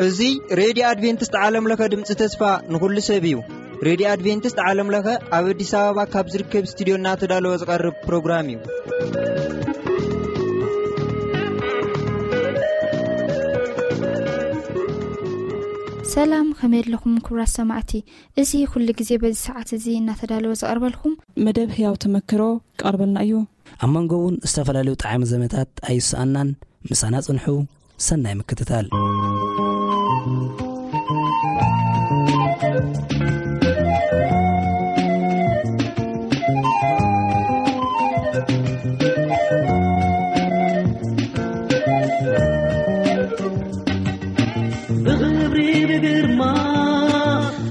እዚ ሬድዮ ኣድቬንቲስት ዓለም ለኸ ድምፂ ተስፋ ንኹሉ ሰብ እዩ። ሬድዮ ኣድቬንቲስት ዓለም ለኸ ኣብ ኣዲስ ኣበባ ካብ ዝርከብ ስቱዲዮ እናተዳለወ ዝቐርብ ፕሮግራም እዩ። ሰላም፣ ከመይ ኣለኹም ክቡራት ሰማዕቲ? እዚ ኩሉ ግዜ በዚ ሰዓት እዚ እናተዳለወ ዝቐርበልኩም መደብ ህያው ተመክሮ ክቐርበልና እዩ። ኣብ መንጎ እውን ዝተፈላለዩ ጣዕሚ ዘመታት ኣይሰኣናን። ምሳና ጽንሑ። ሰናይ ምክትታል። ብኽብሪ ብግርማ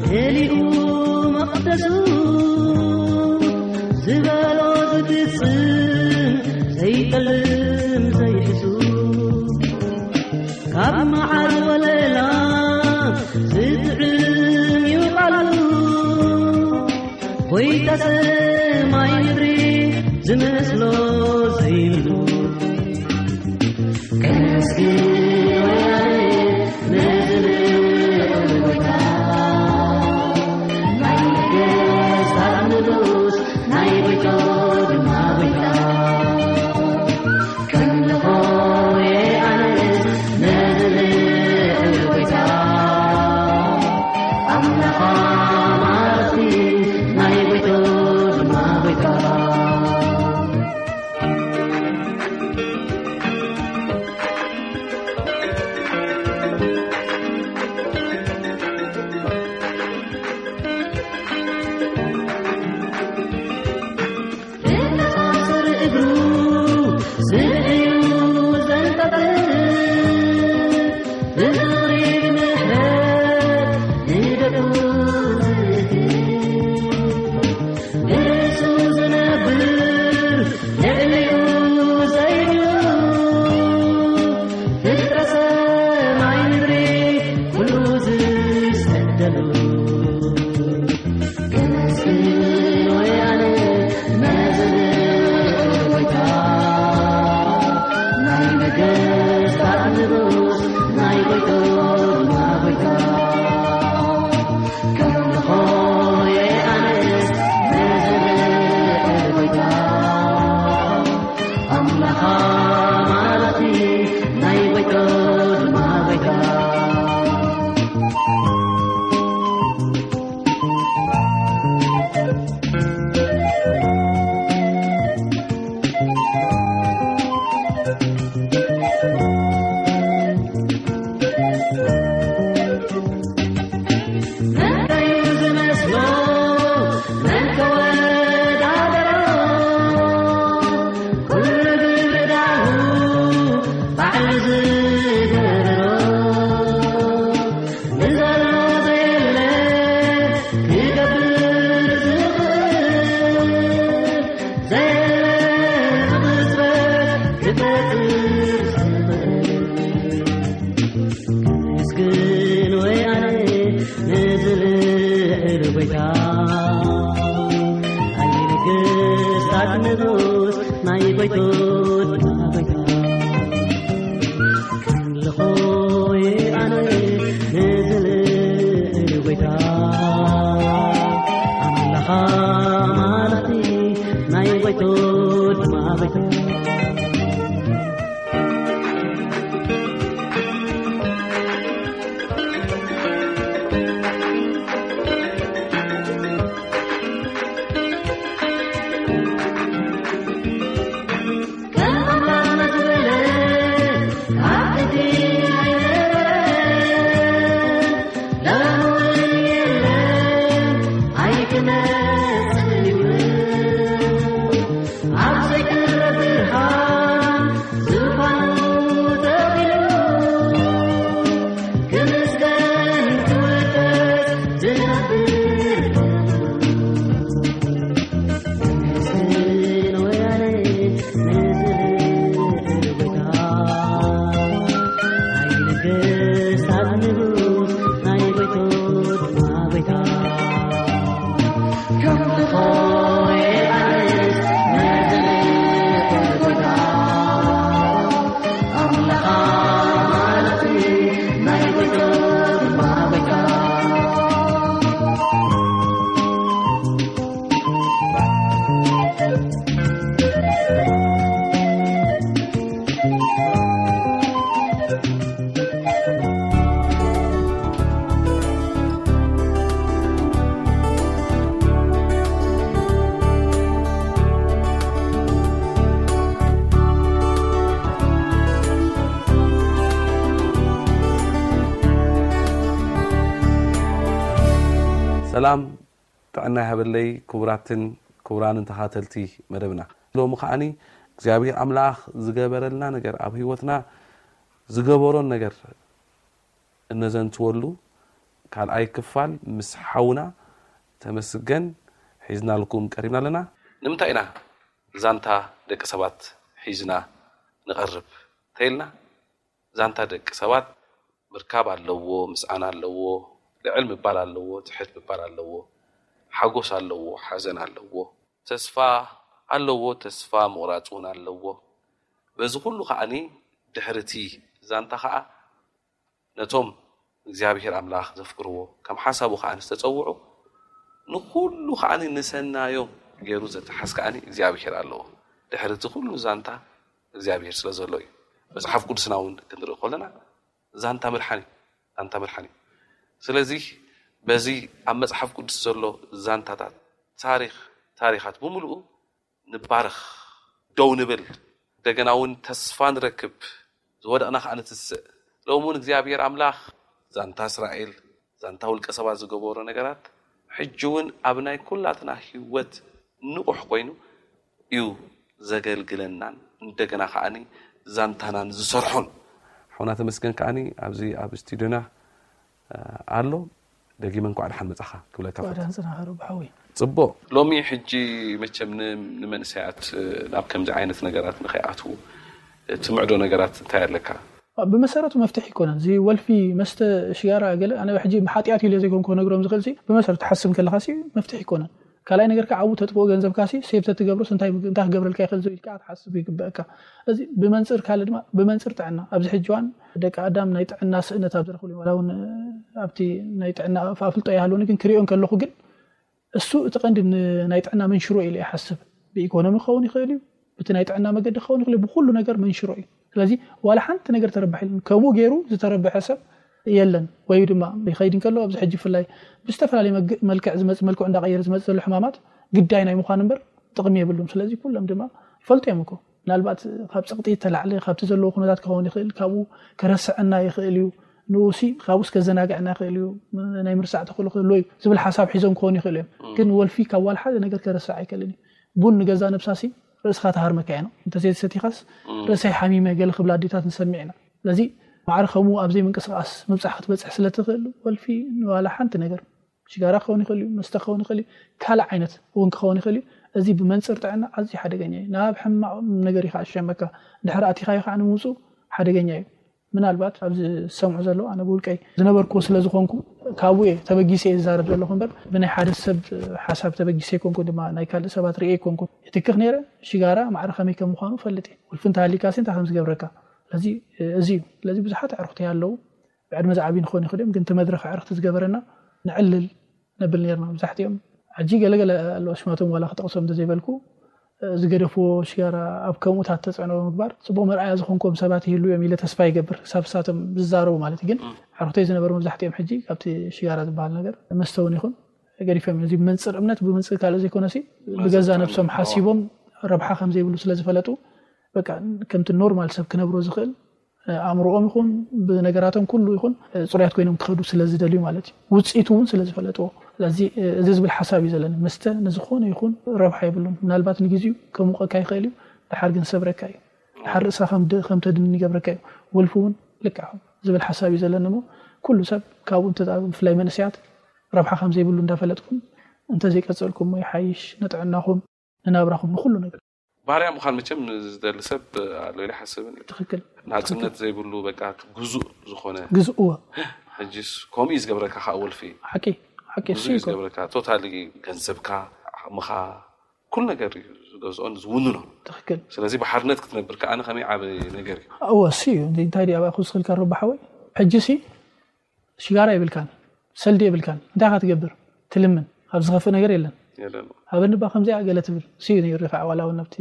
መሊኡ መቕደሱ፣ ዝበሎ ዝፍጽም ዘይጠልም ዘይሕሱ፣ ካብ መዓር ወለላ ዝጥዕም እዩ ቃሉ። ጐይታ ሰማይ ምድሪ ዝመስሎ ዘይብሉ፣ ከመስግን ወያነ ነዚ ልዑል ጐይታ፣ ናይ ነገስታት ንጉስ፣ ናይ ጐይታ ድማ ጐይታ። ከምልኾ የኣንስ ነዚ ልዑል ጐይታ፣ ኣምላኽ ኣማልኽቲ ናይ ጐይታ ድማ ጐይታ። ብተሳስር እግሩ ስርዕዩ ዘንጠልጥል፣ ብዝኽሪ ብምሕረት ንደቁ ዝእክብ፣ ንርእሱ ዝነብር ልዕሊኡ ዘይብሉ፣ ፍጥረት ሰማይ ምድሪ ኩሉ ዝሰደሉ። ከመስግን ወያነ ነዚ ልዑል ጐይታ፣ ናይ ነገስታት ንጉስ፣ ናይ ጐይታ ድማ ጐይታ። ከምልኾ የኣንስ ነዚ ልዑል ጐይታ፣ ኣምላኽ ኣማልኽቲ ናይ ጐይታ ድማ ጐይታ። መን ከዩ ዝመስሎ፣ መን ከወዳደሮ፣ ኩሉ ግብሪ ዳሁ ባዕሉ ዝገበሮ። ንዘሎ ዘየለ ክገብር ዝኽእል፣ ዘየለ ብቕጽበት ክፈጥር ዝኽእል። ምስግን ወያነ ነዚ ልዑል ጐይታ፣ ናይ ነገስታት ንጉስ፣ ናይ ጐይቶት ጐይታ። ከምልኾ ኣነ ነዚ ልዑል ጐይታ፣ ኣምላኽ ኣማልኽቲ ናይ ጐይቶት ድማ ጐይታ። ሰላም ጥዕና ይሃበለይ። ክቡራትን ክቡራንን ተኻተልቲ መደብና፣ ሎሚ ከዓኒ እግዚኣብሔር ኣምላኽ ዝገበረልና ነገር፣ ኣብ ህይወትና ዝገበሮን ነገር እነዘንትወሉ ካልኣይ ክፋል ምስ ሓውና ተመስገን ሒዝናልኩም ቀሪብና ኣለና። ንምንታይ ኢና ዛንታ ደቂ ሰባት ሒዝና ንቐርብ ተይልና፣ ዛንታ ደቂ ሰባት ምርካብ ኣለዎ፣ ምስኣን ኣለዎ፣ ልዕል ምባል ኣለዎ፣ ትሕት ምባል ኣለዎ፣ ሓጎስ ኣለዎ፣ ሓዘን ኣለዎ፣ ተስፋ ኣለዎ፣ ተስፋ ምቑራጽ እውን ኣለዎ። በዚ ኩሉ ከዓኒ ድሕርቲ ዛንታ ከኣ ነቶም እግዚኣብሔር ኣምላኽ ዘፍቅርዎ፣ ከም ሓሳቡ ከኣ ዝተጸውዑ፣ ንኹሉ ከዓኒ ንሰናዮም ገይሩ ዘተሓዝ ከዓኒ እግዚኣብሔር ኣለዎ። ድሕርቲ ኩሉ ዛንታ እግዚኣብሔር ስለ ዘሎ እዩ። መጽሓፍ ቅዱስና እውን ክንርኢ ከለና ዛንታ ምድሓን እዩ። ዛንታ ምድሓን እዩ። ስለዚ በዚ ኣብ መጽሓፍ ቅዱስ ዘሎ ዛንታታት፣ ታሪኽ፣ ታሪኻት ብምሉኡ ንባረኽ፣ ደው ንብል፣ እንደገና እውን ተስፋ ንረክብ፣ ዝወደቕና ከኣ ንትስእ። ሎሚ እውን እግዚኣብሔር ኣምላኽ ዛንታ እስራኤል፣ ዛንታ ውልቀ ሰባት ዝገበሮ ነገራት ሕጂ እውን ኣብ ናይ ኩላትና ህይወት ንቑሕ ኮይኑ እዩ ዘገልግለናን እንደገና ከዓኒ ዛንታናን ዝሰርሖን። ሓውና ተመስገን ከዓኒ ኣብዚ ኣብ ስቱዲዮና ኣሎ። ደጊመ እንኳዕ ደሓን መጻኻ ክብለካ ፈት። ዳን ጽናኸሩ ብሓዊ ጽቡቕ። ሎሚ ሕጂ መቸም ን- ንመንእሰያት ናብ ከምዚ ዓይነት ነገራት ንኸይኣትዉ ትምዕዶ ነገራት እንታይ ኣለካ? ብመሰረቱ መፍትሒ ይኮነን እዚ ወልፊ መስተ ሽጋራ ገለ ኣነ ሕጂ ሓጢኣት ኢለ ዘይኮንኩ ነግሮም ዝኽእል ሲ ብመሰረቱ ሓስብ ከለካ ሲ መፍትሒ ይኮነን ካልኣይ ነገር ከዓ ኣብኡ ተጥፍኦ ገንዘብካ ሲ ሴብ ተትገብሮስ እንታይ እንታይ ክገብረልካ ይኽእል ዝብል ከዓ ክትሓስብ ይግበእካ እዚ ብመንፅር ካልእ ድማ ብመንፅር ጥዕና ኣብዚ ሕጂ ዋን ደቂ ኣዳም ናይ ጥዕና ስእነት ኣብ ዝረኽብሉ ዋላ እውን ኣብቲ ናይ ጥዕና ኣፍልጦ ይሃልወኒ ግን ክሪኦ እንከለኹ ግን እሱ እቲ ቀንዲ ናይ ጥዕና መንሽሮ ኢለ ይሓስብ ብኢኮኖሚ ክኸውን ይኽእል እዩ ብቲ ናይ ጥዕና መገዲ ክኸውን ይኽእል ብኩሉ ነገር መንሽሮ እዩ ስለዚ ዋላ ሓንቲ ነገር ተረባሕ ኢሉ ከምኡ ገይሩ ዝተረበሐ ሰብ የለን ወይ ድማ ይኸይድ እንከሎ ኣብዚ ሕጂ ፍላይ ብዝተፈላለየ መልክዕ ዝመፅ መልክዑ እንዳቀየረ ዝመፅ ዘሎ ሕማማት ግዳይ ናይ ምዃን እምበር ጥቕሚ የብሉን ስለዚ ኩሎም ድማ ይፈልጡ እዮም እኮ ምናልባት ካብ ፀቕጢ ተላዕለ ካብቲ ዘለዎ ኩነታት ክኸውን ይኽእል ካብኡ ከረስዐና ይኽእል እዩ ንኡሲ ካብኡስ ከዘናግዐና ይኽእል እዩ ናይ ምርሳዕ ተኽእሎ ክህልዎ እዩ ዝብል ሓሳብ ሒዞም ክኾኑ ይኽእሉ እዮም ግን ወልፊ ካብ ዋላ ሓደ ነገር ከረስዕ ኣይክእልን እዩ ቡን ንገዛ ነብሳሲ ርእስኻ ተሃርመካ እያ ነው እንተዘይተሰቲኻስ ርእሰይ ሓሚመ ገለ ክብላ ኣዴታት ንሰምዕ ኢና ስለዚ ማዕረ ከምኡ ኣብዘይ ምንቅስቃስ ምብፃሕ ክትበፅሕ ስለትኽእል ወልፊ ንዋላ ሓንቲ ነገር ሽጋራ ክኸውን ይኽእል እዩ መስተ ክኸውን ይኽእል እዩ ካልእ ዓይነት እውን ክኸውን ይኽእል እዩ እዚ ብመንፅር ጥዕና ኣዝዩ ሓደገኛ እዩ ናብ ሕማቕ ነገር እዩ ከዓ ዝሸመካ ድሕሪ ኣቲኻዮ ከዓ ንምውፁ ሓደገኛ እዩ ምናልባት ኣብዚ ዝሰምዑ ዘለዉ ኣነ ብውልቀይ ዝነበርኩዎ ስለ ዝኾንኩ ካብኡ እየ ተበጊሰ እየ ዝዛረብ ዘለኹ እምበር ብናይ ሓደ ሰብ ሓሳብ ተበጊሰ ኣይኮንኩ ድማ ናይ ካልእ ሰባት ርእየ ኣይኮንኩ ይትክኽ ነይረ ሽጋራ ማዕረ ከመይ ከም ምዃኑ ፈልጥ እየ ውልፊ እንተሃሊካ ሲ እንታይ ከም ዝገብረካ ስለዚ እዚ እዩ ስለዚ ብዙሓት ኣዕሩኽቲ ኣለዉ ብዕድመ ዝዓብዩ ንኾን ይኽእል እዮም ግን እቲ መድረኽ ኣዕርኽቲ ዝገበረና ንዕልል ነብል ነርና መብዛሕትኦም ሕጂ ገለገለ ኣለዎ ሽማቶም ዋላ ክጠቕሶም እንተዘይበልኩ ዝገደፍዎ ሽጋራ ኣብ ከምኡታት ተፅዕኖ ምግባር ፅቡቅ መርኣያ ዝኾንኩም ሰባት ይህሉ እዮም ኢለ ተስፋ ይገብር ክሳብ ሳቶም ዝዛረቡ ማለት ግን ዓርክተይ ዝነበሩ መብዛሕትኦም ሕጂ ካብቲ ሽጋራ ዝበሃል ነገር መስተ እውን ይኹን ገዲፎም እዚ መንፅር እምነት ብምንፅር ካልእ ዘይኮነሲ ብገዛ ነብሶም ሓሲቦም ረብሓ ከም ዘይብሉ ስለ ዝፈለጡ በቃ ከምቲ ኖርማል ሰብ ክነብሮ ዝኽእል ኣእምሮኦም ይኹን ብነገራቶም ኩሉ ይኹን ፅሩያት ኮይኖም ክኸዱ ስለ ዝደልዩ ማለት እዩ ውፅኢቱ እውን ስለ ዝፈለጥዎ ስለዚ እዚ ዝብል ሓሳብ እዩ ዘለኒ መስተ ንዝኾነ ይኹን ረብሓ የብሉን ምናልባት ንግዜኡ ከሙቀካ ይኽእል እዩ ድሓር ግን ሰብረካ እዩ ድሓር ርእስኻ ከም ተድንን ይገብረካ እዩ ወልፊ እውን ልክዕ ዝብል ሓሳብ እዩ ዘለኒ ሞ ኩሉ ሰብ ካብኡ ብፍላይ መንእሰያት ረብሓ ከም ዘይብሉ እንዳፈለጥኩም እንተዘይቀፀልኩሞ ይሓይሽ ንጥዕናኹም ንናብራኹም ንኹሉ ነገር ባርያ ምዃን መቸም ዝደሊ ሰብ ኣሎ ኢለ ሓስብን እዩ ትኽክል ናፅነት ዘይብሉ በቃ ግዙእ ዝኾነ ግዝእዎ ሕጅስ ከምኡ እዩ ዝገብረካ ከዓ ወልፊ ሓቂ ሓቂ እሱ ብዙ እዩ ይኮ ዝገብረካ ቶታሊ ገንዘብካ ዓቕምኻ ኩሉ ነገር እዩ ዝገዝኦን ዝውንኖ ትኽክል ስለዚ ብሓርነት ክትነብር ከዓ ከመይ ዓብ ነገር እዩ እወ እሱ እዩ እንደ እንታይ ድኣ ኣብኣ ክውስኽልካ ረባ ሓወይ ሕጂ ሲ ሽጋራ የብልካን ሰልዲ የብልካን እንታይ ኢኻ ትገብር ትልምን ካብ ዝኸፍእ ነገር የለን የለን ሃበኒ ባ ከምዚኣ ገለ ትብል እሱ እዩ ነይሩ ከዓ ዋላ እውን ኣብቲ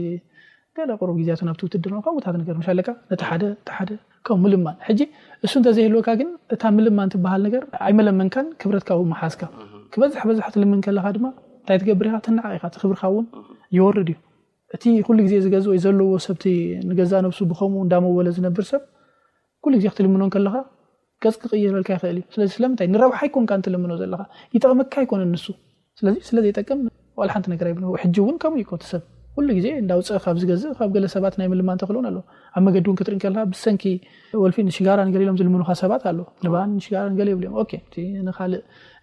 ገለ ቁሩብ ግዜያቱ ናብቲ ውትድርና ከምኡታት ነገር ምሽ ኣለካ ነቲ ሓደ እቲ ሓደ ከም ምልማን ሕጂ እሱ እንተዘይህልወካ ግን እታ ምልማን ትበሃል ነገር ኣይመለመንካን ክብረትካ እውን መሓዝካ ክበዝሕ በዝሕ ትልምን ከለካ ድማ እንታይ ትገብር ኢካ ትናዓቕ ኢካ እቲ ክብርካ እውን ይወርድ እዩ እቲ ኩሉ ግዜ ዝገዝኦ ዘለዎ ሰብቲ ንገዛ ነብሱ ብከምኡ እንዳመወለ ዝነብር ሰብ ኩሉ ግዜ ክትልምኖ ከለካ ገጽ ክቕይረልካ ይኽእል እዩ። ስለዚ ስለምንታይ ንረብሓ ኣይኮንካ እንትልምኖ ዘለኻ፣ ይጠቕመካ ኣይኮነን ንሱ። ስለዚ ስለ ዘይጠቅም ዋላ ሓንቲ ነገር ኣይብሎ። ሕጂ እውን ከምኡ ይኮ ሰብ ኩሉ ግዜ እንዳውፅእ ካብ ዝገዝእ ካብ ገለ ሰባት ናይ ምልማን ተኽእሎን ኣሎ። ኣብ መገዲ እውን ክትርኢ ከለካ ብሰንኪ ወልፊ ንሽጋራ ንገለ ኢሎም ዝልምኑካ ሰባት ኣሎ። ንባን ንሽጋራ ንገለ ይብሉ እዮም። ኦኬ፣ እቲ ንኻልእ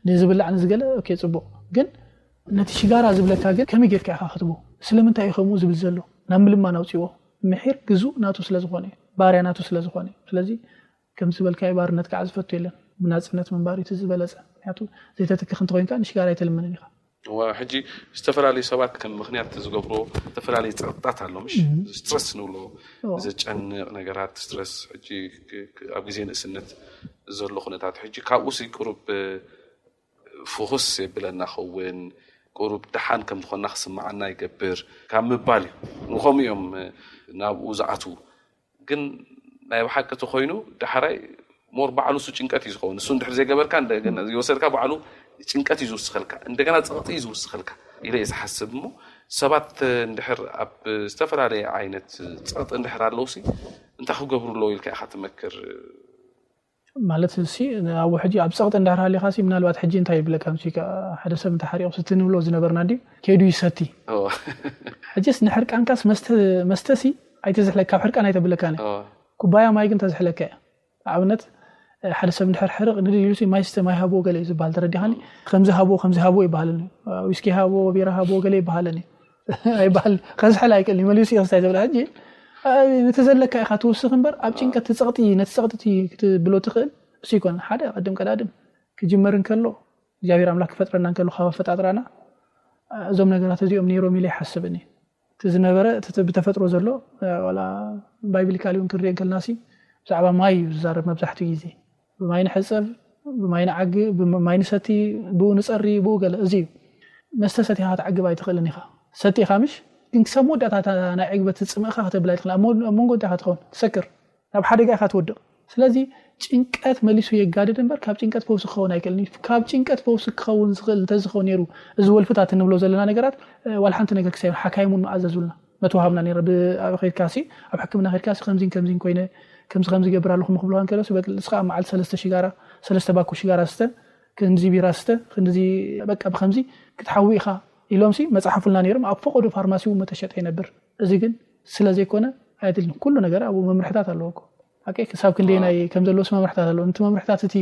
ንዝብላዕ ንዝገለ ኦኬ፣ ፅቡቕ። ግን ነቲ ሽጋራ ዝብለካ ግን ከመይ ጌርካ ኢኻ ክትቦ? ስለምንታይ እዩ ከምኡ ዝብል ዘሎ? ናብ ምልማን ኣውፅዎ። ምሒር ግዙእ ናቱ ስለ ዝኾነ እዩ፣ ባርያ ናቱ ስለ ዝኾነ እዩ። ስለዚ ከም ዝበልካዮ ባርነት ከዓ ዝፈቱ የለን። ብናፅነት ምንባር እዩ እቲ ዝበለፀ። ምክንያቱ ዘይተትክኽ እንተኮይንካ ንሽጋራ ኣይተልምንን ኢኻ። ሕጂ ዝተፈላለዩ ሰባት ከም ምክንያት ዝገብሮ ዝተፈላለዩ ፀቕጥታት ኣሎ፣ ምሽ ስትረስ ንብሎ፣ ዘጨንቕ ነገራት ስትረስ። ሕጂ ኣብ ግዜ ንእስነት ዘሎ ኩነታት ሕጂ ካብኡ ሲ ቁሩብ ፍኹስ የብለና ኸውን፣ ቁሩብ ደሓን ከም ዝኾንና ክስምዓና ይገብር ካብ ምባል እዩ። ንኸምኡ እዮም ናብኡ ዝኣትዉ። ግን ናይ ብሓቂ እቲ ኮይኑ ዳሕራይ ሞር ባዕሉ እሱ ጭንቀት እዩ ዝኸውን። እሱ እንድሕር ዘይገበርካ እንደገና ዝወሰድካ ባዕሉ ጭንቀት እዩ ዝውስኸልካ፣ እንደገና ፀቕጢ እዩ ዝውስኸልካ ኢለ እየ ዝሓስብ። እሞ ሰባት እንድሕር ኣብ ዝተፈላለየ ዓይነት ፀቕጢ እንድሕር ኣለውሲ እንታይ ክገብሩ ኣለዎ ኢልካ ኢኻ ትመክር? ማለት ሲ ኣብ ሕጂ ኣብ ፀቕጢ እንዳሃሊኻ ሲ ምናልባት ሕጂ እንታይ ይብለካ ምስ ሓደ ሰብ እንተሓሪቑ ስቲ ንብሎ ዝነበርና እንዲ ከይዱ ይሰቲ። ሕጅስ ንሕርቃንካስ መስተ ሲ ኣይተዝሕለካ፣ ካብ ሕርቃን ኣይተብለካን። ኩባያ ማይ ግን ተዝሕለካ እያ። ንኣብነት ሓደ ሰብ እንድሕር ሕርቕ ንድል ኢሉ ሲ ማይ ስተ ማይ ሃብዎ ገለ እዩ ዝበሃል፣ ተረዲኻኒ? ከምዚ ሃብዎ ከምዚ ሃብዎ ይበሃለኒ። ዊስኪ ሃብዎ ቢራ ሃብዎ ገለ ይበሃለኒ። ኣይበሃል፣ ከዝሕል ኣይክእል መሊሱ እዩ ክስታይ ዝብላ። ሕጂ እቲ ዘለካ ኢኻ ትውስኽ እምበር ኣብ ጭንቀት ትፀቕጢ ነቲ ፀቕጢ ክትብሎ ትኽእል እሱ ይኮን። ሓደ ቀድም ቀዳድም ክጅመር እንከሎ እግዚኣብሔር ኣምላክ ክፈጥረና እንከሎ ካብ ኣፈጣጥራና እዞም ነገራት እዚኦም ነይሮም ኢለ ይሓስብኒ። እቲ ዝነበረ እቲ ብተፈጥሮ ዘሎ ዋላ ባይብሊካሊ እውን ክንሪኦ እንከልና ሲ ብዛዕባ ማይ እዩ ዝዛረብ መብዛሕትኡ ግዜ። ብማይ ንሕፀብ፣ ብማይ ንዓግብ፣ ብማይ ንሰቲ፣ ብኡ ንፀሪ፣ ብኡ ገለ እዚ እዩ። መስተ ሰቲኻ ክትዓግብ ኣይትኽእልን ኢኻ። ሰቲኻ ምሽ ግን ክሳብ መወዳእታ ናይ ዕግበት ፅምእኻ ከተብል ኣይትኽእል። ኣብ መንጎ እንታይ ኢኻ ትኸውን? ትሰክር፣ ናብ ሓደጋ ኢኻ ትወድቕ። ስለዚ ጭንቀት መሊሱ የጋድድ እምበር ካብ ጭንቀት ፈውሲ ክኸውን ኣይክእልን እዩ። ካብ ጭንቀት ፈውሲ ክኸውን ዝኽእል እንተዝኸውን ነይሩ እዚ ወልፍታት እንብሎ ዘለና ነገራት ዋላ ሓንቲ ነገር ክሳይ ሓካይም እውን መኣዘዙልና መተዋሃብና ነይረ። ኣብ ኸድካሲ ኣብ ሕክምና ኸድካሲ ከምዚን ከምዚን ኮይነ ከምዚ ከምዚ ገብር ኣለኹም ክብልዋ እንከለሲ በቂ ንስኻ ኣብ መዓልቲ ሰለስተ ሽጋራ ሰለስተ ባኮ ሽጋራ ስተ ክንዚ ቢራ ስተ ክንዚ በቃ ብከምዚ ክትሓዊ ኢኻ ኢሎምሲ መፅሓፉልና ነይሮም። ኣብ ፈቐዶ ፋርማሲ እውን መተሸጠ ይነብር። እዚ ግን ስለ ዘይኮነ ኣየድልን። ኩሉ ነገር ኣብኡ መምርሕታት ኣለዎ እኮ። ሓቂ ክሳብ ክንደየናይ ከም ዘለዎስ መምርሕታት ኣለዎ። ነቲ መምርሕታት እቲ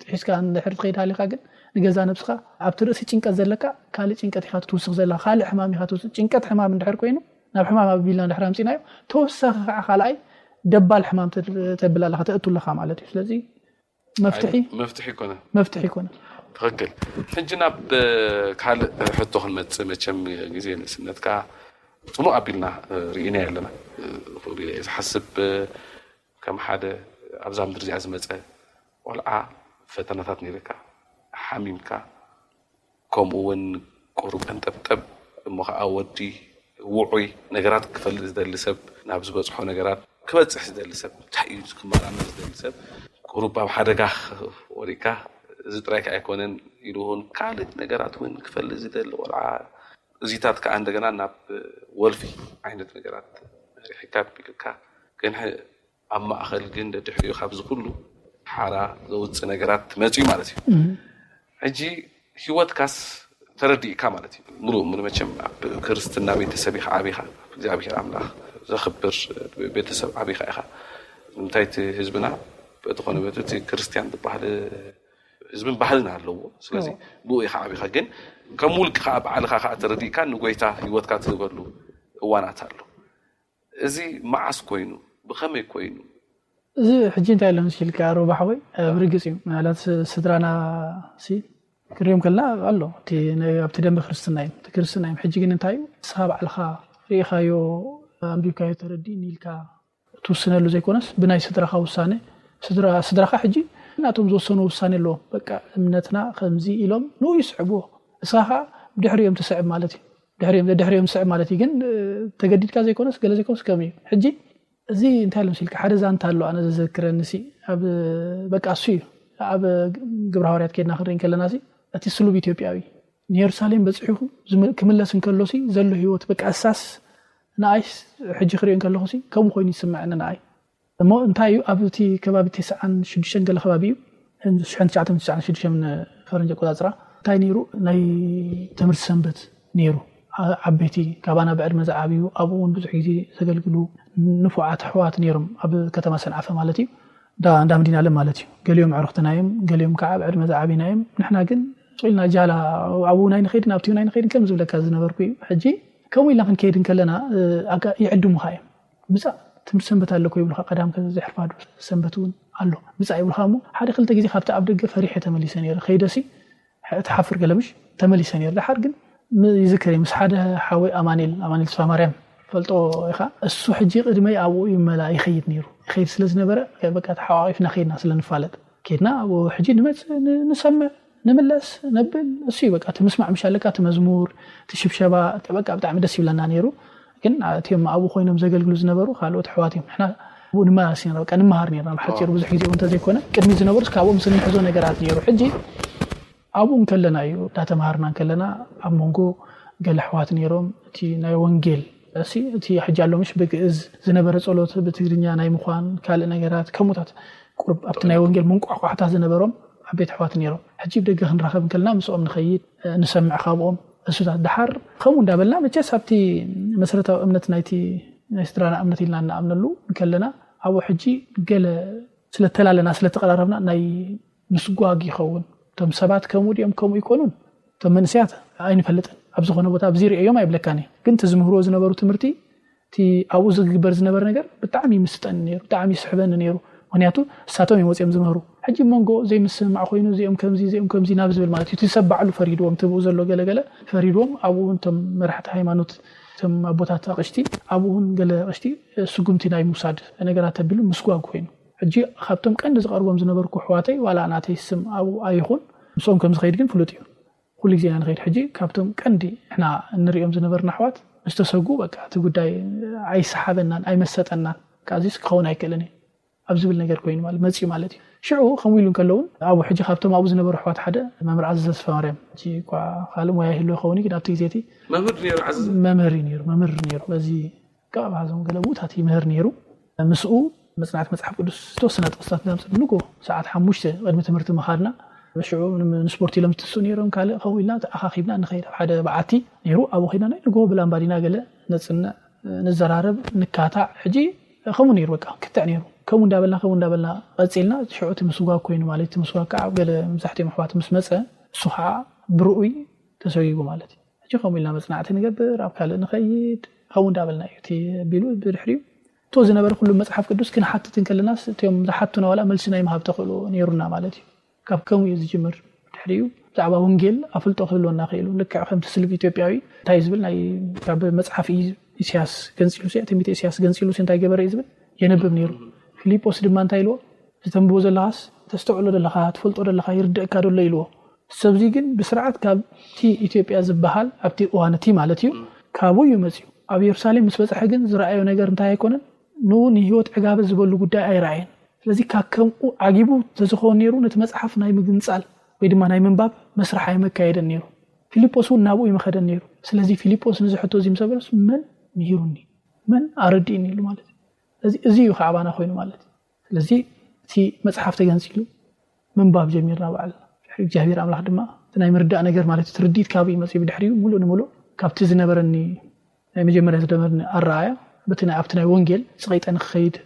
ጥሒስካ እንድሕር ትኸይድ ሃሊኻ ግን ንገዛ ነብስኻ ኣብቲ ርእሲ ጭንቀት ዘለካ ካልእ ጭንቀት ኢኻ ትውስኽ ዘለኻ፣ ካልእ ሕማም ኢኻ ትውስኽ። ጭንቀት ሕማም እንድሕር ኮይኑ ናብ ሕማም ኣቢልና እንድሕር ኣምፂናዮ ተወሳኺ ከዓ ካልኣይ ደባል ሕማም ተብል ኣለኻ ተእቱ ኣለኻ ማለት እዩ። ስለዚ መፍትሒ መፍትሒ ይኮነ መፍትሒ ይኮነ። ትኽክል። ሕጂ ናብ ካልእ ሕቶ ክንመፅእ መቸም ግዜ ንእስነትካ ፅሙእ ኣቢልና ርኢና ኣለና። ዝሓስብ ከም ሓደ ኣብዛ ምድሪ እዚኣ ዝመፀ ቆልዓ ፈተናታት ነይርካ ሓሚምካ ከምኡ እውን ቁሩብ ቀንጠብጠብ እሞ ከዓ ወዲ ውዑይ ነገራት ክፈልጥ ዝደሊ ሰብ ናብ ዝበፅሖ ነገራት ክበፅሕ ዝደሊ ሰብ እንታይ እዩ ክመራመር ዝደሊ ሰብ ቁሩብ ኣብ ሓደጋ ወሪካ እዚ ጥራይ ከዓ ኣይኮነን ኢሉ እውን ካልእ ነገራት እውን ክፈልጥ ዝደሊ ቆልዓ እዚታት ከዓ እንደገና ናብ ወልፊ ዓይነት ነገራት መሪሕካ ቢልካ ግን ኣብ ማእኸል ግን ደድሕሪኡ ካብዚ ኩሉ ሓራ ዘውፅእ ነገራት መፅኡ ማለት እዩ። ሕጂ ህይወትካስ ተረዲእካ ማለት እዩ። ሙሉእ ሙሉ መቸም ኣብ ክርስትና ቤተሰብ ኢኻ ዓቢኻ እግዚኣብሔር ኣምላኽ ዘኽብር ቤተሰብ ዓቢኻ ኢኻ። እንታይ እቲ ህዝብና በተኾነ በቲ እቲ ክርስትያን ዝበሃል ህዝብን ባህልን ኣለዎ። ስለዚ ብኡ ኢኻ ዓቢኻ ግን ከም ውልቂ ከዓ በዓልኻ ከዓ ተረዲእካ ንጎይታ ህይወትካ ትህበሉ እዋናት ኣሎ። እዚ መዓስ ኮይኑ ብኸመይ ኮይኑ? እዚ ሕጂ እንታይ ኣሎ ምስ ኢልካ ሮባሕ ወይ ብርግፅ እዩ ምናልባት ስድራና ሲ ክሪኦም ከልና ኣሎ እቲ ኣብቲ ደንበ ክርስትና እዮም እቲ ክርስትና እዮም። ሕጂ ግን እንታይ እዩ ንስኻ ባዕልኻ ርኢኻዮ ኣንቢብካዮ ተረዲእኒ ኢልካ ትውስነሉ ዘይኮነስ ብናይ ስድራኻ ውሳነ ስድራኻ ሕጂ ናቶም ዝወሰኑ ውሳኔ ኣለዎም። በቃ እምነትና ከምዚ ኢሎም ንኡ ይስዕብዎ እስኻ ከዓ ድሕሪኦም ትስዕብ ማለት እዩ። ድሕሪኦም ድሕሪኦም ትስዕብ ማለት እዩ። ግን ተገዲድካ ዘይኮነስ ገለ ዘይኮነስ ከም እዩ። ሕጂ እዚ እንታይ ኢሎም ሲልካ ሓደ ዛንታ ኣሎ ኣነ ዘዘክረኒ ሲ ኣብ በቃ እሱ እዩ ኣብ ግብረ ሃዋርያት ከድና ክንርኢ ከለና ሲ እቲ ስሉብ ኢትዮጵያዊ ንየሩሳሌም በፂሑ ክምለስ እንከሎ ሲ ዘሎ ህይወት በቃ እሳስ ንኣይ ሕጂ ክሪኦ እንከለኹ ሲ ከምኡ ኮይኑ ይስምዐኒ ንኣይ እሞ እንታይ እዩ ኣብቲ ከባቢ ተስዓን ሽዱሽተን ገለ ከባቢ እዩ ሽሕን ትሽዓተ ሚእትን ተስዓን ሽዱሽተን ፈረንጅ ኣቆፃፅራ እንታይ ነይሩ ናይ ትምህርቲ ሰንበት ነይሩ። ዓበይቲ ካባና ብዕድመ ዝዓብዩ ኣብኡ እውን ብዙሕ ግዜ ዘገልግሉ ንፉዓት ኣሕዋት ነይሮም ኣብ ከተማ ሰንዓፈ ማለት እዩ። እንዳ መዲናለም ማለት እዩ። ገሊኦም ኣዕሩኽትና እዮም፣ ገሊኦም ከዓ ብዕድመ ዝዓብዩና እዮም። ንሕና ግን ስቕ ኢልና ጃላ ኣብኡ ናይ ንኸይድን ኣብቲ ናይ ንኸይድን ከም ዝብለካ ዝነበርኩ እዩ። ሕጂ ከምኡ ኢልና ክንከይድ እንከለና ይዕድሙኻ እዮም። ምፃእ ትምህርቲ ሰንበት ኣለኮ ይብሉካ። ቀዳም ከዘሕርፋዱ ሰንበት እውን ኣሎ ምፃእ ይብሉካ። እሞ ሓደ ክልተ ግዜ ካብቲ ኣብ ደገ ፈሪሐ ተመሊሰ ነይረ። ከይደሲ ትሓፍር ገለምሽ ተመሊሰ ነይረ። ድሓር ግን ይዝክር ምስ ሓደ ሓወይ ኣማኒል ኣማኒል ተስፋ ማርያም ፈልጦ ኢኻ። እሱ ሕጂ ቅድመይ ኣብኡ ይመላ ይኸይድ ነይሩ። ይኸይድ ስለ ዝነበረ በቃ ተሓዋቂፍና ከይድና ስለ ንፋለጥ ከይድና ኣብኡ ሕጂ ንመፅእ ንሰምዕ ንምለስ ነብል እሱ እዩ በቃ ትምስማዕ ምሻለካ ትመዝሙር ትሽብሸባ በቃ ብጣዕሚ ደስ ይብለና ነይሩ። ግን እቲኦም ኣብኡ ኮይኖም ዘገልግሉ ዝነበሩ ካልኦት ኣሕዋት እዮም። ንሕና ኣብኡ ንመላለስ ኢና በቃ ንመሃር ነርና። ብሓፂሩ ብዙሕ ግዜ እውን እንተዘይኮነ ቅድሚ ዝነበሩስ ካብኦም ስንሕዞ ነገራት ነይሩ። ሕጂ ኣብኡ እንከለና እዩ እንዳተምሃርና እንከለና ኣብ መንጎ ገለ ኣሕዋት ነይሮም እቲ ናይ ወንጌል እሲ እቲ ሕጂ ኣሎ ምሽ ብግእዝ ዝነበረ ጸሎት ብትግርኛ ናይ ምዃን ካልእ ነገራት ከምኡታት ቁርብ ኣብቲ ናይ ወንጌል መንቋቋሕታ ዝነበሮም ዓበይቲ ኣሕዋት ነይሮም። ሕጂ ብደገ ክንራኸብ እንከለና ምስኦም ንኸይድ ንሰምዕ ካብኦም እሱታት ድሓር ከምኡ እንዳበልና መቸስ ኣብቲ መሰረታዊ እምነት ናይቲ ናይ ስድራና እምነት ኢልና እናኣምነሉ እንከለና ኣብኡ ሕጂ ገለ ስለተላለና ስለተቐራረብና ናይ ምስጓግ ይኸውን። እቶም ሰባት ከምኡ ድኦም ከምኡ ይኮኑን እቶም መንስያት ኣይንፈልጥን። ኣብ ዝኾነ ቦታ ኣብዚ ርእዮም ኣይብለካን እየ። ግን እቲ ዝምህርዎ ዝነበሩ ትምህርቲ እቲ ኣብኡ ዝግበር ዝነበረ ነገር ብጣዕሚ ይምስጠኒ ነይሩ፣ ብጣዕሚ ይስሕበኒ ነይሩ። ምክንያቱ እሳቶም እዮም ወፂኦም ዝምህሩ። ሕጂ መንጎ ዘይምስምማዕ ኮይኑ እዚኦም ከምዚ እዚኦም ከምዚ ናብ ዝብል ማለት እዩ። እቲ ሰብ ባዕሉ ፈሪድዎም፣ እቲ ብኡ ዘሎ ገለገለ ፈሪድዎም። ኣብኡ እውን እቶም መራሕቲ ሃይማኖት እቶም ኣቦታት ኣቕሽቲ ኣብኡ እውን ገለ ኣቕሽቲ ስጉምቲ ናይ ምውሳድ ነገራት ተቢሉ ምስጓግ ኮይኑ ሕጂ ካብቶም ቀንዲ ዝቐርቦም ዝነበርኩ ኣሕዋተይ ዋላ ናተይ ስም ኣብኡ ኣይኹን ምስኦም ከም ዝኸይድ ግን ፍሉጥ እዩ። ኩሉ ግዜ ኢና ንኸይድ። ሕጂ ካብቶም ቀንዲ ንሕና እንሪኦም ዝነበርና ኣሕዋት ምስ ተሰጉ በቃ እቲ ጉዳይ ኣይሰሓበናን ኣይመሰጠናን። በቃ እዚስ ክኸውን ኣይክእልን እዩ ኣብ ዝብል ነገር ኮይኑ ማለት መፅዩ ማለት እዩ። ሽዑ ከምኡ ኢሉ እንከለውን ኣብኡ ሕጂ ካብቶም ኣብኡ ዝነበሩ ኣሕዋት ሓደ መምህር ዓዘዘ ተስፋማርያም ሕጂ እኳ ካልእ ሞያ ይህልዎ ይኸውን እዩ ግን ኣብቲ ግዜ እቲ መምህር ነይሩ ዓዘዘ መምህር እዩ ነይሩ መምህር ነይሩ በዚ ካብ ኣብዞም ገለ ብኡታት ይምህር ነይሩ። ምስኡ መፅናዕቲ መፅሓፍ ቅዱስ ዝተወሰነ ጥቕስታት እናምፅእ ንጎ ሰዓት ሓሙሽተ ቅድሚ ትምህርቲ ምኻድና ሽዑ ንስፖርት ኢሎም ዝትስኡ ነይሮም ካልእ ከምኡ ኢልና ተኣኻኺብና ንኸይድ ኣብ ሓደ በዓቲ ነይሩ። ኣብኡ ኸይድና ናይ ንጎ ብላምባዲና ገለ ነፅንዕ ንዘራረብ ንካታዕ ሕጂ ከምኡ ነይሩ በቃ ክትዕ ነይሩ። ከምኡ እንዳበልና ከምኡ እንዳበልና ቀፂልና ሽዑ እቲ ምስጓግ ኮይኑ ማለት እቲ ምስጓግ ከዓ ኣብ ገለ መብዛሕትኦም ኣሕዋት ምስ መፀ እሱ ከዓ ብርኡይ ተሰጊጉ ማለት እዩ። ሕጂ ከምኡ ኢልና መፅናዕቲ ንገብር ኣብ ካልእ ንኸይድ ከምኡ እንዳበልና እዩ እቲ ቢሉ ብድሕሪኡ እቶ ዝነበረ ኩሉ መፅሓፍ ቅዱስ ክንሓትት እንከለናስ እቲኦም ዝሓቱና ዋላ መልሲ ናይ ምሃብ ተኽእሎ ነይሩና ማለት እዩ። ካብ ከምኡ እዩ ዝጅምር። ድሕሪኡ ብዛዕባ ወንጌል ኣፍልጦ ክህልወና ክኢሉ ልክዕ ከምቲ ስሉብ ኢትዮጵያዊ እንታይ ዝብል ናይ ካብ መፅሓፍ ኢስያስ ገንፂሉ ትንቢተ ኢስያስ ገንፂሉ እንታይ ገበረ እዩ ዝብል የንብብ ነይሩ። ፊልጶስ ድማ እንታይ ኢልዎ ዝተንብቦ ዘለኻስ ተስተውዕሎ ዘለኻ ትፈልጦ ዘለኻ ይርድእካ ደሎ ኢልዎ። ሰብዚ ግን ብስርዓት ካብቲ ኢትዮጵያ ዝበሃል ኣብቲ እዋን እቲ ማለት እዩ ካብኡ እዩ መፅዩ። ኣብ የሩሳሌም ምስ በፅሐ ግን ዝረኣዮ ነገር እንታይ ኣይኮነን። ንኡ ንህይወት ዕጋበ ዝበሉ ጉዳይ ኣይረኣየን። ስለዚ ካብ ከምኡ ዓጊቡ ተዝኸውን ነይሩ ነቲ መፅሓፍ ናይ ምግንፃል ወይ ድማ ናይ ምንባብ መስራሕ ኣይመካየደን ነይሩ። ፊልጶስ እውን ናብኡ ይመኸደን ነይሩ። ስለዚ ፊልጶስ ንዝሕቶ እዚ ምስ በለስ መን ምሂሩኒ መን ኣረዲእኒ ኢሉ ማለት እዩ። ስለዚ እዚ እዩ ከዓባና ኮይኑ ማለት እዩ። ስለዚ እቲ መፅሓፍ ተገንፂሉ ምንባብ ጀሚርና ባዕልና እግዚኣብሔር ኣምላኽ ድማ እቲ ናይ ምርዳእ ነገር ማለት እቲ ርድኢት ካብ እዩ መፅኡ ብድሕሪኡ ሙሉእ ንሙሉእ ካብቲ ዝነበረኒ ናይ መጀመርያ ዝነበረኒ ኣረኣያ በቲ ናይ ኣብቲ ናይ ወንጌል ስቐይጠ ንክኸይድ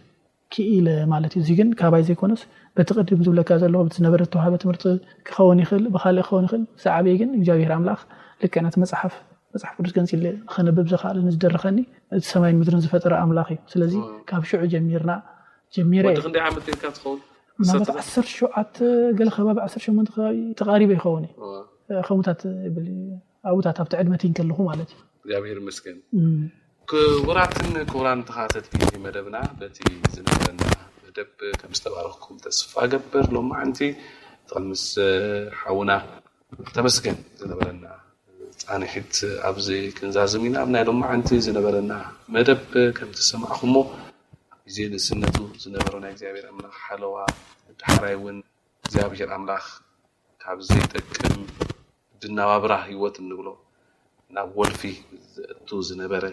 ክኢለ ማለት እዩ። እዚ ግን ካባይ ዘይኮነስ በቲ ቅድም ዝብለካ ዘለዎ በቲ ዝነበረ ዝተዋሃበ ትምህርቲ ክኸውን ይኽእል ብካልእ ክኸውን ይኽእል። ዝዓበየ ግን እግዚኣብሔር ኣምላኽ ልክዕ ነቲ መፅሓፍ መፅሓፍ ቅዱስ ገንፂለ ከነብብ ዘኽኣለኒ ዝደረኸኒ እቲ ሰማይን ምድርን ዝፈጠረ ኣምላኽ እዩ። ስለዚ ካብ ሽዑ ጀሚርና ጀሚረ ወዲ ክንደይ ዓመት ነርካ ትኸውን ምናልባት ዓሰርተ ሸውዓተ ገለ ከባቢ ዓሰርተ ሸሞንተ ከባቢ ተቃሪበ ይኸውን እዩ ከምኡታት ይብል ኣብታት ኣብቲ ዕድመት እንከለኹ ማለት እዩ። እግዚኣብሔር ይመስገን። ክቡራትን ክቡራን ተኸታተልቲ መደብና በቲ ዝነበረና መደብ ከም ዝተባረኽኩም ተስፋ ገብር። ሎማዓንቲ ምስ ሓውና ተመስገን ዝነበረና ፃንሒት ኣብዚ ክንዛዝም ኢና። ኣብ ናይ ሎማዓንቲ ዝነበረና መደብ ከም ዝሰማዕኹሞ ኣብ ግዜ ንእስነቱ ዝነበሮ ናይ እግዚኣብሔር ኣምላኽ ሓለዋ ዳሕራይ እውን እግዚኣብሔር ኣምላኽ ካብ ዘይጠቅም ድናባብራ ህይወት እንብሎ ናብ ወልፊ ዘእቱ ዝነበረ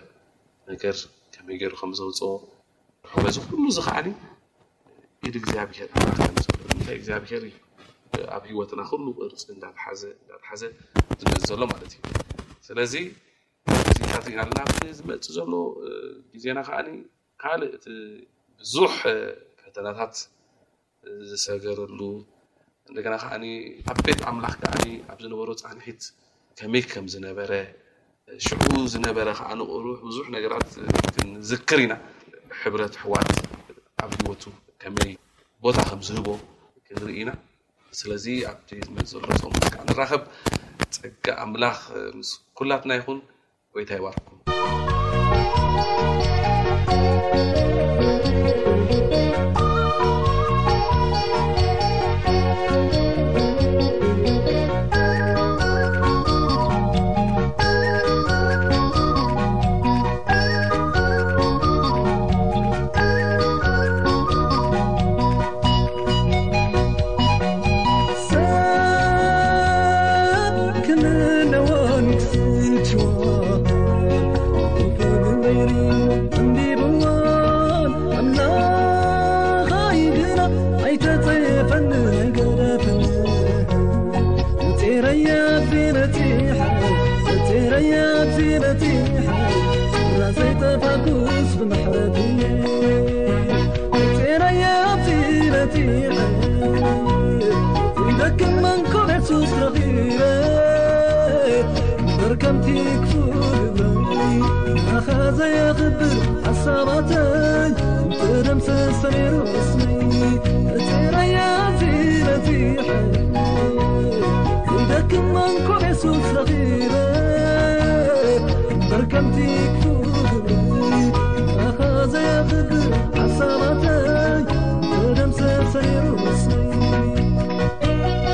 ነገር ከመይ ገይሩ ከም ዘውፅኦ በዚ ኩሉ እዚ ከዓኒ እግዚኣብሔር ኣምላኽ ከም ዘሎ እንታይ እግዚኣብሔር እዩ ኣብ ህይወትና ኩሉ ቅርፂ እንዳተሓዘ እንዳተሓዘ ዝመፅ ዘሎ ማለት እዩ። ስለዚ እዚታት ኢና ናብቲ ዝመፅእ ዘሎ ግዜና ከዓኒ ካልእ እቲ ብዙሕ ፈተናታት ዝሰገረሉ እንደገና ከዓኒ ኣብ ቤት ኣምላኽ ከዓኒ ኣብ ዝነበሮ ፃንሒት ከመይ ከም ዝነበረ ሽዑ ዝነበረ ከዓ ንቑሩሕ ብዙሕ ነገራት ክንዝክር ኢና። ሕብረት ኣሕዋት ኣብ ህይወቱ ከመይ ቦታ ከም ዝህቦ ክንርኢ ኢና። ስለዚ ኣብቲ ዝመፅእ ዘሎ ፆም ከዓ ንራኸብ። ፀጋ ኣምላኽ ምስ ኩላትና ይኹን። ጎይታ ይባርኩም።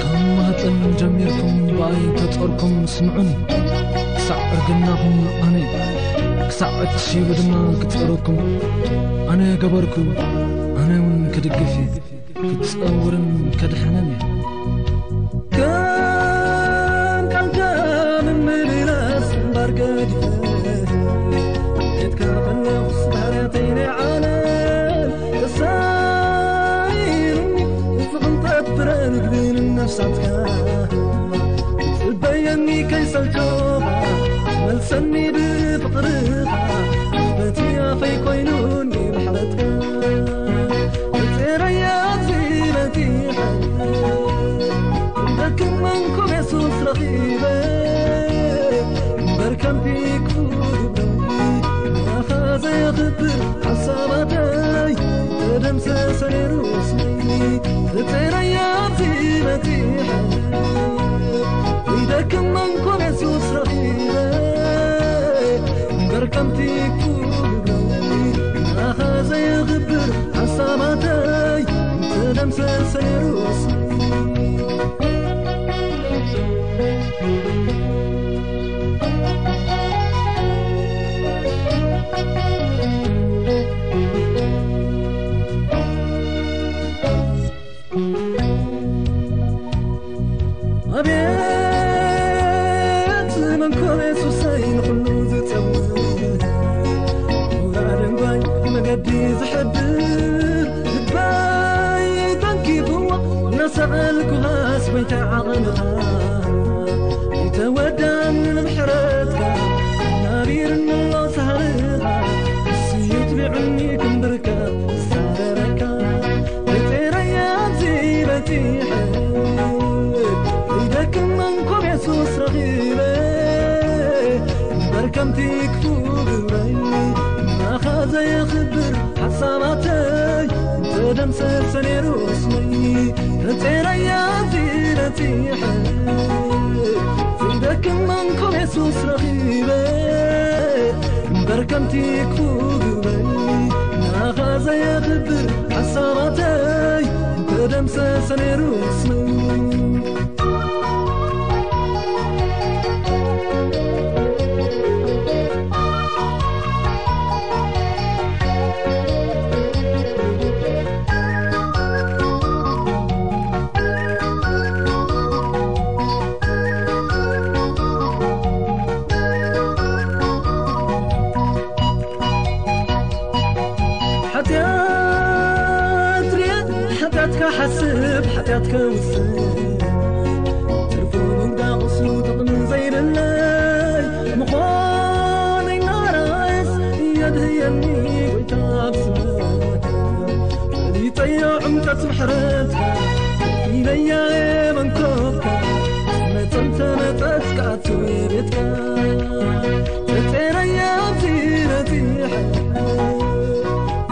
ካብ ማህፀን ጀሚርኩም ብኣይ ተፀርኩም ስምዑኒ። ክሳዕ እርግናኹም ኣነ፣ ክሳዕ እትሽይቡ ድማ ክፀረኩም ኣነ ገበርኩ። ኣነ እውን ክድግፍ እየ፣ ክፀውርን ከድሕንን እየ። ከም ቃልካ ምምልላስ እምበር ገዲፈ፣ ቤትካ ከለኹስ ባህርያተይ ናይ ዓለም ተሳኢሩኒ። እዚ ቅንጠት ፍረ ምግቢ ንነፍሳትካ፣ ጽበየኒ ከይሰልቸኻ፣ መልሰኒ ብፍቕርኻ፣ በቲ ኣፈይ ኮይኑኒ ምሕረትካ። እጽረያ ኣብዚ በጺሐ፣ ደክም መንኩብ የሱስ ረኺበ፣ እምበር ከምቲ ክፉእ ግብረይ፣ ንኣኻ ዘየኽብር ሓሳባተይ፣ ተደምሰሰ ነይሩ ስመይ። እጽረያ ኣብዚ በጺሐ፣ ይደክም መንኩብ የሱስ ረኺበ፣ እምበር ከምቲ ክፉእ ግብረይ፣ ንኣኻ ዘየኽብር ሓሳባተይ፣ ተደምሰሰ ነይሩ ስመይ። ኣቤት መንኮብ የሱሰይ ንኹሉ ዝጸውር፣ ውራድ እንጓይ መገዲ ዝሕብር፣ ልበይ ተንኪፍዎ እናሰቐልኩኻስ ጎይታ ዓቐንኻ፣ ኣይተወዳእን ምሕረትካ፣ ናቢርኒ ኣሎ ሳህልኻ፣ ንሱ እዩ ትቢዑኒ ክምብርከኽ ዝሳረረካ። እጽረያ ኣብዚ በጺሐ፣ ይደክም መንኮብ የሱስ ረኺበ፣ እምበር ከምቲ ክፉእ ግብረይ፣ ንኣኻ ዘየኽብር ሓሳባተይ፣ ተደምሰሰ ነይሩ ስመይ። እጽረያ ኣብዚ በጺሐ፣ ይደክም መንኮብ የሱስ ረኺበ፣ እምበር ከምቲ ክፉእ ግብረይ፣ ንኣኻ ዘየኽብር ሓሳባተይ፣ ተደምሰሰ ነይሩ ስመይ። ሓጢኣት ርየ ክሓስብ ሓጢኣት ከውስን፣ ትርፉ ምጉዳ ቁስሉ ጥቕሚ ዘይብለይ ምኾነይ እናረኣየስ የድህየኒ ጎይታ ብስምረትካ። ፈሊጠዮ ዕምቀት ምሕረትካ፣ ኢለያ መንኮፍካ፣ መጸ እንተመጸስ ክኣቱ ቤትካ። ተጸረየ ኣብዚ በጺሐ፣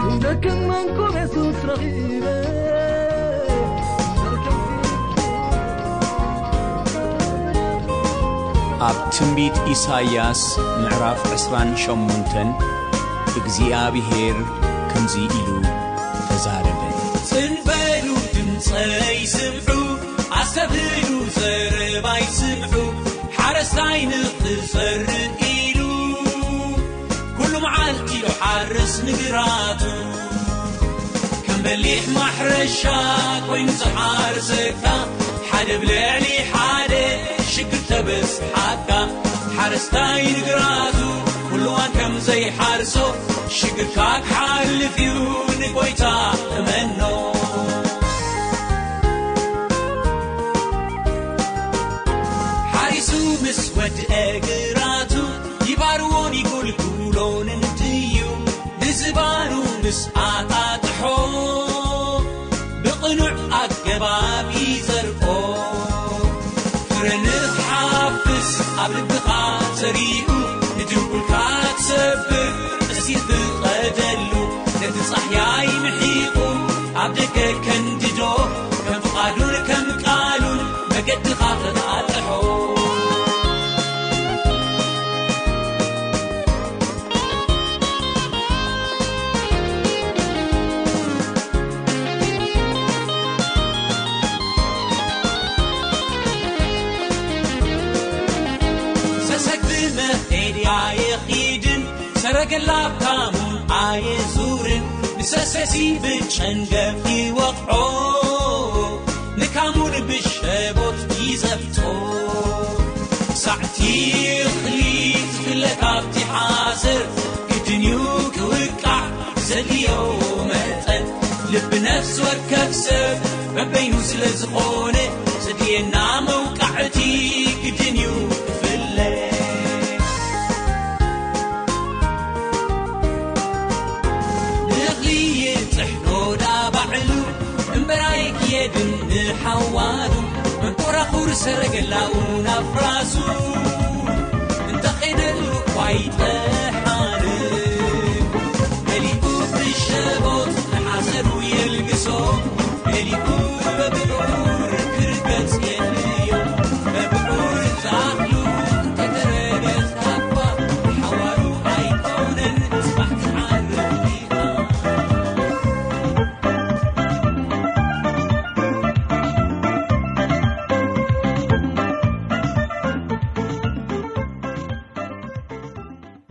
ዘይደክም መንኮፍ የሱስ ረኺበ። ኣብ ትንቢት ኢሳይያስ ምዕራፍ ዕስራን ሸሞንተን እግዚኣብሄር ከምዚ ኢሉ ተዛረበ። ጽን በሉ፣ ድምጸይ ስምዑ፣ ኣስተብህሉ፣ ዘረባይ ስምዑ። ሓረስታይ ንኽዘርእ ኢሉ፣ ኩሉ መዓልቲ ይሓርስ ንግራቱ። ከም በሊሕ ማሕረሻ ኮይኑ ዝሓርሰካ፣ ሓደ ብልዕሊ ሓደ ሽግር ተበስሓካ። ሓረስታይ ንግራቱ ኩሉዋን ከም ዘይሓርሶ፣ ሽግርካ ክሓልፍ እዩ፣ ንጎይታ እመኖ። ሓሪሱ ምስ ወድአ ግራቱ፣ ይባርዎን ይጉልጉሎን እንድዩ። ንዝባኑ ምስ ኣጣጥሖ፣ ብቕኑዕ ኣገባብ ይዘርኦ። ፍረ ንኽሓፍስ ኣብ ልብኻ ዘሪኡ፣ ንድንቁልካ ክሰብር እሲ ፍቐደሉ። ነቲ ጻህያይ ምሒቑ ኣብ ደገ ከንድዶ፣ ከም ፍቓዱን ከም ቃሉን መገድኻ ተጣጥሖ። ሰሰግ ብመኼድያ የኺድን፣ ሰረገላ ኣብ ካሙን ኣየዙርን። ንሰሰሲ ብጨንገፍ ይወቕዖ፣ ንካሙን ብሸቦት ይዘብጦ። ሳዕቲ እኽሊ ትፍለ ካብቲ ሓሰር፣ ግድን እዩ ክውቃዕ ዘድልዮ መጠን። ልቢ ነፍሲ ወከፍ ሰብ በበይኑ ስለ ዝኾነ፣ ዘድልየና መውቃዕቲ ግድን እዩ ክፍለ። ንእኽሊ ይጥሕኖ ዳ ባዕሉ፣ እምበር ኣይክየድን ንሓዋሩ። መንኮራኹር ሰረገላኡ ናብ ራሱ፣